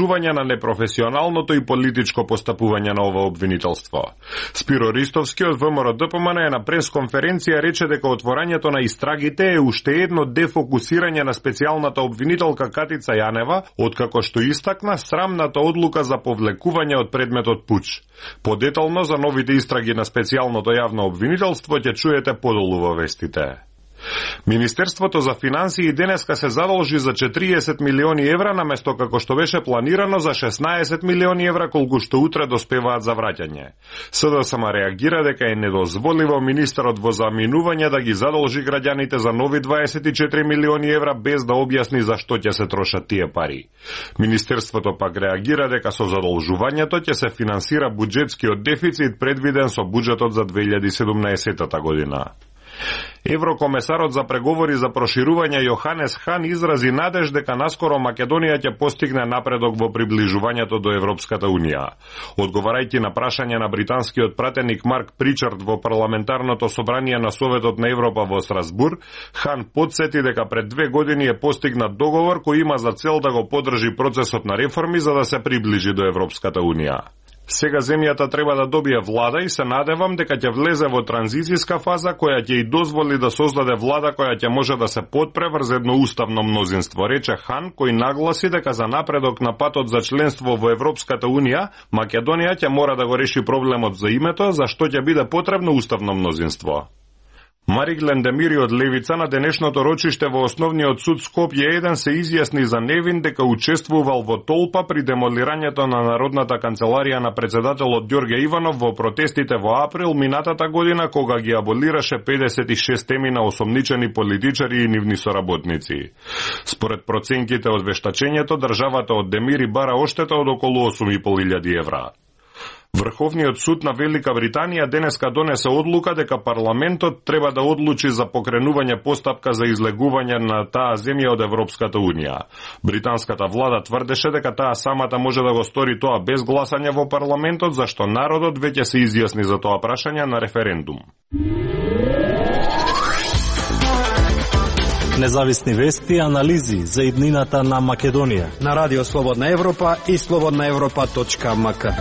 разрушување на непрофесионалното и политичко постапување на ова обвинителство. Спиро Ристовски од ВМРО ДПМН на пресконференција рече дека отворањето на истрагите е уште едно дефокусирање на специјалната обвинителка Катица Јанева, откако што истакна срамната одлука за повлекување од предметот пуч. Подетално за новите истраги на специјалното јавно обвинителство ќе чуете подолу во вестите. Министерството за финансии денеска се задолжи за 40 милиони евра наместо како што беше планирано за 16 милиони евра колку што утре доспеваат за враќање. СДСМ реагира дека е недозволиво министерот во заминување да ги задолжи граѓаните за нови 24 милиони евра без да објасни за што ќе се трошат тие пари. Министерството пак реагира дека со задолжувањето ќе се финансира буџетскиот дефицит предвиден со буџетот за 2017 година. Еврокомесарот за преговори за проширување Јоханес Хан изрази надеж дека наскоро Македонија ќе постигне напредок во приближувањето до Европската Унија. Одговарајќи на прашање на британскиот пратеник Марк Причард во парламентарното собрание на Советот на Европа во Страсбур, Хан потсети дека пред 2 години е постигнат договор кој има за цел да го поддржи процесот на реформи за да се приближи до Европската Унија. Сега земјата треба да добие влада и се надевам дека ќе влезе во транзицијска фаза која ќе и дозволи да создаде влада која ќе може да се подпре врз едно уставно мнозинство, рече Хан, кој нагласи дека за напредок на патот за членство во Европската Унија, Македонија ќе мора да го реши проблемот за името, за што ќе биде потребно уставно мнозинство. Марик Лендемири од Левица на денешното рочиште во Основниот суд Скопје 1 се изјасни за невин дека учествувал во толпа при демолирањето на Народната канцеларија на председателот Ѓорѓе Иванов во протестите во април минатата година кога ги аболираше 56 теми на осомничени политичари и нивни соработници. Според проценките од вештачењето, државата од Демири бара оштета од околу 8.500 евра. Врховниот суд на Велика Британија денеска донесе одлука дека парламентот треба да одлучи за покренување постапка за излегување на таа земја од Европската Унија. Британската влада тврдеше дека таа самата може да го стори тоа без гласање во парламентот, зашто народот веќе се изјасни за тоа прашање на референдум. Независни вести и анализи за иднината на Македонија на Радио Слободна Европа и slobodnaevropa.mk.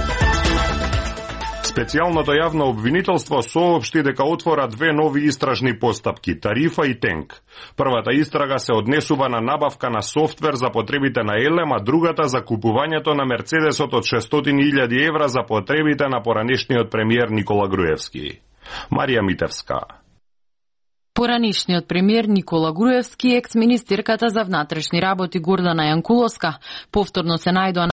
Специјалното јавно обвинителство соопшти дека отвора 2 нови истражни постапки – Тарифа и Тенк. Првата истрага се однесува на набавка на софтвер за потребите на Елем, а другата за купувањето на Мерцедесот од 600.000 евра за потребите на поранешниот премиер Никола Груевски. Марија Митевска. Поранишниот премиер Никола Груевски и екс-министерката за внатрешни работи Гордана Јанкуловска повторно се најдоа